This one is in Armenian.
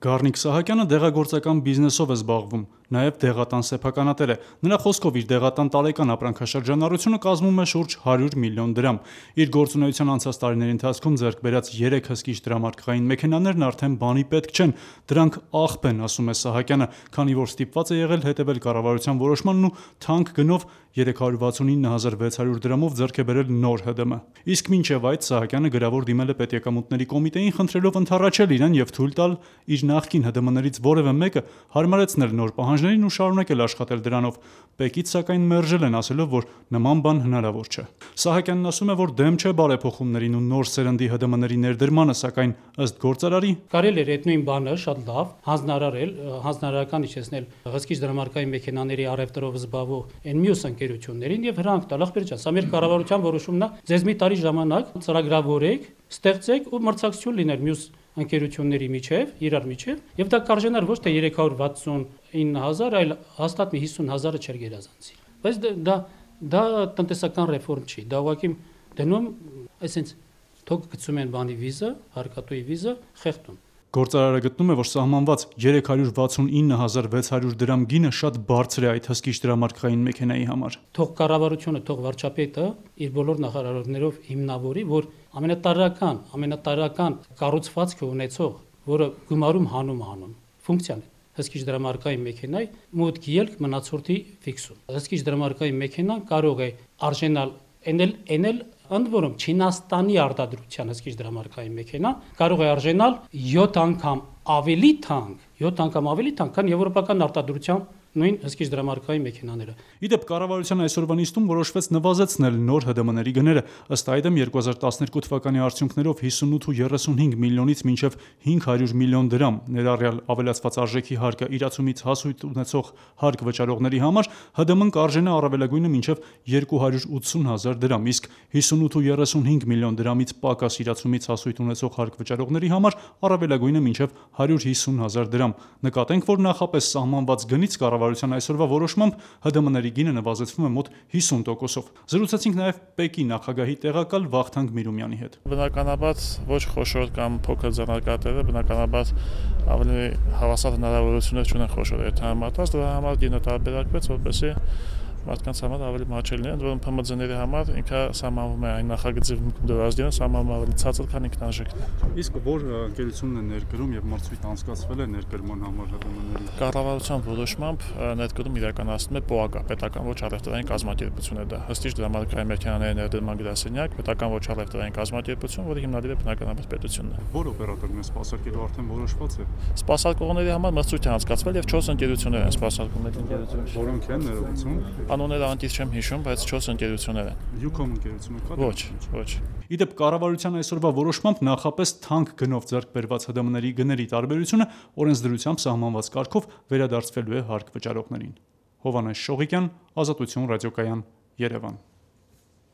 Գառնիկ Սահակյանը դեղագործական բիզնեսով է զբաղվում, նաև դեղատան սեփականատեր է։ Նրա խոսքով իր դեղատան տարեկան ապրանքաշրջանառությունը կազմում է շուրջ 100 միլիոն դրամ։ Իր գործունեության անցած տարիների ընթացքում ձեռք բերած 3 հսկիչ դրամարկղային մեքենաներն արդեն բանի պետք չեն, դրանք աղբ են, ասում է Սահակյանը, քանի որ ստիպված է եղել հետևել կառավարության որոշմանն ու թանկ գնով 369.600 դրամով ձեռք է բերել նոր ՀԴՄ։ Իսկ մինչև այդ Սահակյանը գրավոր դիմել է պետեկամուտների կոմիտեին, խնդրելով ընդառաջել իրեն եւ թույլ տալ իր նախկին ՀԴՄ-ներից որևէ մեկը հարմարեցնել նոր պահանջներին ու շարունակել աշխատել դրանով։ Պեկից սակայն մերժել են, ասելով, որ նման բան հնարավոր չէ։ Սահակյանն ասում է, որ դեմ չէ բարեփոխումներին ու նոր սերնդի ՀԴՄ-ների ներդրմանը, սակայն ըստ գործարարի կարելի էր այդ նույն բանը շատ լավ հանձնարարական իջեցնել հսկիչ դրամարկային մեքենաների առևտրով զբաղվող այն մյուս ընկերություններին եւ հրանք տալ ախպեր ջան, սա մեր կառավարության որոշումն է, ձեզ մի տարի ժամանակ ծրագրավորեք, ստեղծեք ու մրցակցություն լիներ մյուս ընկերությունների միջև, իրար միջև, եւ դա կարժենար ոչ թե 369.000, այլ հաստատ մի 50.000-ը չէր գերազանցի։ Բայց դա տնտեսական ռեֆորմ չի, դա ուղղակի դնում, այսինքն թող գցում են բանի վիզա, հարկատուի վիզա, խեղդում։ Գործարարը գտնում է, որ սահմանված 369.600 դրամ գինը շատ բարձր է այդ հսկիչ դրամարկղային մեքենայի համար։ Թող կառավարությունը, թող վարչապետը իր բոլոր նախարարություններով հիմնավորի, որ ամենատարրական կառուցվածքը ունեցող, որը գումարում հանում, ֆունկցիան հսկիչ դրամարկղային մեքենայի մոտ ելք մնացորդի ֆիքսում։ Հսկիչ դրամարկղային մեքենան կարող է արժենալ էնել ընդ որում Չինաստանի արտադրության հսկիչ դրամարկղային մեքենա կարող է արժենալ 7 անգամ ավելի թանկ, քան եվրոպական արտադրության նույն հսկիչ դրամարկղային մեքենաները։ Իդեպ կառավարության այսօրվա նիստում որոշվեց նվազեցնել նոր ՀԴՄ-ների գները, ըստ այդմ 2012 թվականի արդյունքներով 58.35 միլիոնից մինչև 500 միլիոն դրամ, ներառյալ ավելացված արժեքի հարկը իրացումից հասույթ ունեցող հարկ վճարողների համար ՀԴՄ-ն կարժենա առավելագույնը մինչև 280.000 դրամ, իսկ 58.35 միլիոն դրամից պակաս իրացումից հասույթ ունեցող հարկ վճարողների համար առավելագույնը մինչև 150.000 դրամ։ Նկատենք, որ նախապես սահմանված գնից կառավարության այսօրվա որոշմամբ ՀԴՄ-ների գինը նվազեցվում է մոտ 50%-ով։ Զրուցեցինք նաև Պեկի նախագահի տեղակալ Վախթանգ Միրումյանի հետ։ Բնականաբար ոչ խոշոր կամ փոքր ձեռնարկատերը բնականաբար ավելի հավասար հնարավորություններ չունեն խոշոր երթամարտած, դրա համար գինը տարբերակվեց, որպեսզի մարդկանց համար ավելի մատչելի լինի, ընդ որում ՓՄԶ-ների համար ինքը սահմանվում է այն նախագծի դրազդինը սահմանվում ավելի ցածր, քան ինքնարժեքն է։ Իսկ որ ընկերությունն է ներկրում եւ մրցույթ անցկացվել է ներկրման համար ՀԴՄ-ների։ Կառավարության որոշմամբ ներկրում իրականացնում է ՊՕԱԿ, պետական ոչ առևտրային կազմակերպություն է դա։ Հսկիչ դրամարկղային մեքենաների ներդրման գրասենյակ, պետական ոչ առևտրային կազմակերպություն, որի հիմնադիրը բնականաբար պետությունն է։ Որ օպերատորն է սպասարկելու արդեն որոշված է։ Սպասարկողների համար մրցույթ է անցկացվել եւ 4 ընկերություններ են սպասարկում այդ ընկերությունները։ Որոնք են ներողություն։ Անունները անտից չեմ հիշում, բայց 4 ընկերություններ են։ Յուկոմ ընկերությունը կա։ Ոչ։ Իդեպ կառավարության այսօրվա որոշմամբ նախապես թանկ գնով ձեռք բերված ՀԴՄ-ների գների տարբերությունը օրենսդրությամբ սահմանված կարգով վերադարձվելու է հարկ վճարողներին։ Հովհաննես Շողիկյան, Ազատություն ռադիոկայան, Երևան։